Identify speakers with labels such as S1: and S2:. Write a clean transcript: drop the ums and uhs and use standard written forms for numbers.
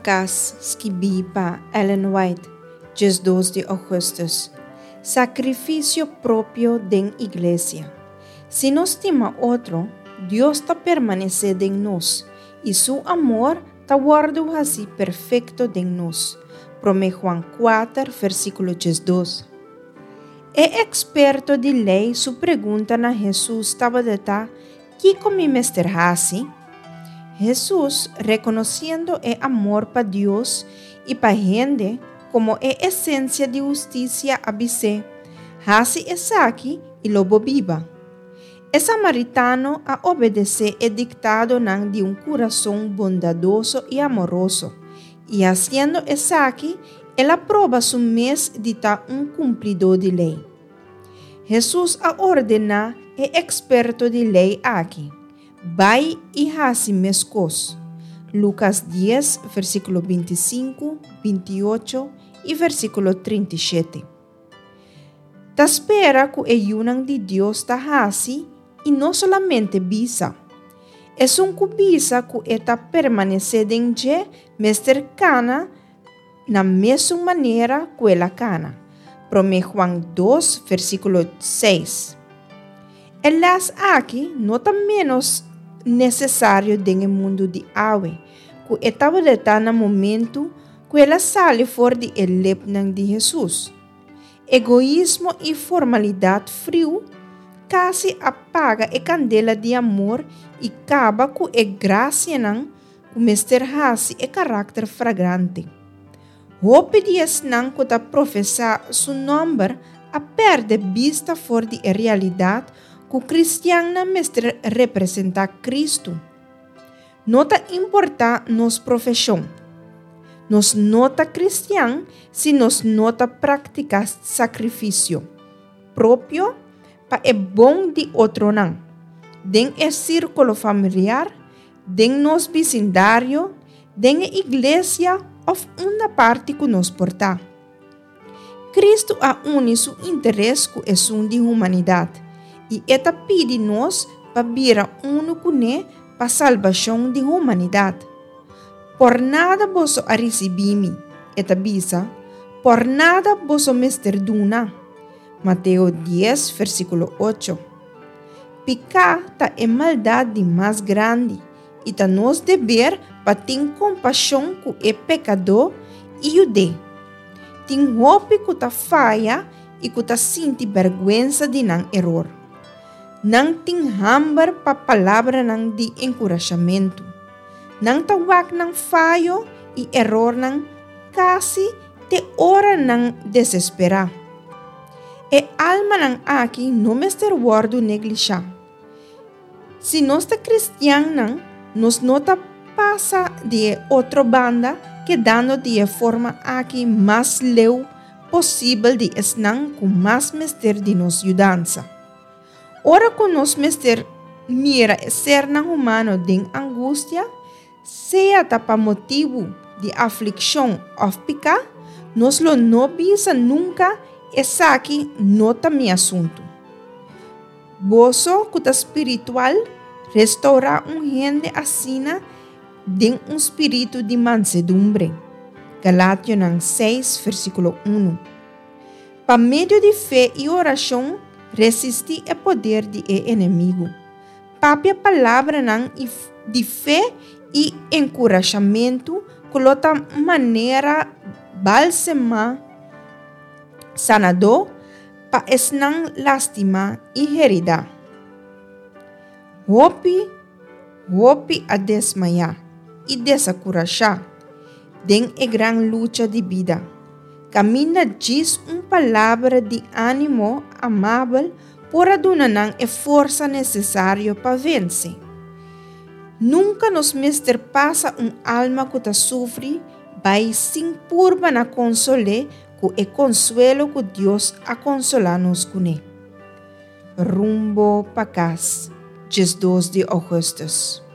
S1: Kas, skibí pa Ellen White, 12 di ougùstùs. Sakrifisio propio den iglesia. Si nos stima otro, Dios ta permanesé den nos, i su amor ta wòrdu hasí perfekto den nos. Promé Juan 4, versíkulo 12. E eksperto di lei su pregunta na Hesus tabata ta, Kiko mi mester hasi? Hesus, rekonosiendo e amor pa Dios i pa hende komo e esensia di hustisia, a bis'é, Hasi esaki i lo bo biba. E samaritano a obedesé e diktadonan di un kurason bondadoso i amoroso, i hasiendo esaki el a proba su mes di ta un kumplidó di lei. Hesus a ordená e eksperto di lei aki, Bai i hasi meskos. Lukas dies, versíkulo 25, 28 i versíkulo 37. Ta spera ku e yunan di Dios ta hasi i no solamente bisa. Esun ku bisa ku e ta permanesé den dje mester kana na mesun manera ku el a kana. Promé Juan 2, versíkulo 6. E lès aki no ta ménos nesesario den e mundu di awe ku e tabata na momentu ku el a sali for di e lepnan di Hesus. Egoismo i formalidat friu kasi a paga e kandela di amor i kaba ku e grasianan ku mester hasi e karakter fragrante. Hopi di esnan ku ta profesá su nòmber a pèrdè bista for di e realidat ku kristiannan mester representá Kristu. No ta importá nos profeshon. Nos no ta kristian si nos no ta praktiká sakrifisio propio pa e bon di otronan, den e sírkulo familiar, den nos bisindario, den e iglesia òf unda parti ku nos por ta. Kristu a uni su interes ku esun di humanidat, i e ta pidi nos pa bira unu kuné pa salbashon di humanidat. Por nada boso a risibí mi, e ta bisa, por nada boso mester duna. Mateo 10, versíkulo 8. Piká ta e maldat di mas grandi, i ta nos deber pa tin kompashon ku e pekadó i yud'é. Tin hopi ku ta faya i ku ta sinti bèrgwensa di nan eror. Nan tin hamber pa palabranan di enkurashamentu. Nan ta wak nan fayo i erornan kasi te ora nan desesperá. E almanan aki no mester wòrdu neglishá. Si nos ta kristiannan, nos no ta pasa di e otro banda kedando di e forma aki mas leu posibel di esnan ku mas mester di nos yudansa. Ora ku nos mester mira e sernan humano den angustia, sea ta pa motibu di aflikshon òf piká, nos lo no bisa nunka, Esaki no ta mi asuntu. Boso ku ta spiritual, restourá un hende asina den un spiritu di mansedumbre. Galationan 6, versíkulo 1. Pa medio di fe i orashon, resistí e poder di e enemigu. Papia palabranan di fe i enkurashamentu ku lo ta manera bálsema sanadó pa esnan lastimá i heridá. Hopi, hopi a desmayá i desakurashá den e gran lucha di bida, kaminda djis un palabra di ánimo amabel por a duna nan e forsa nesesario pa vense. Nunka nos mester pasa un alma ku ta sufri bai sin purba na konsol'é ku e konsuelo ku Dios a konsolá nos kuné. Rumbo pa kas, 12 di ougùstùs.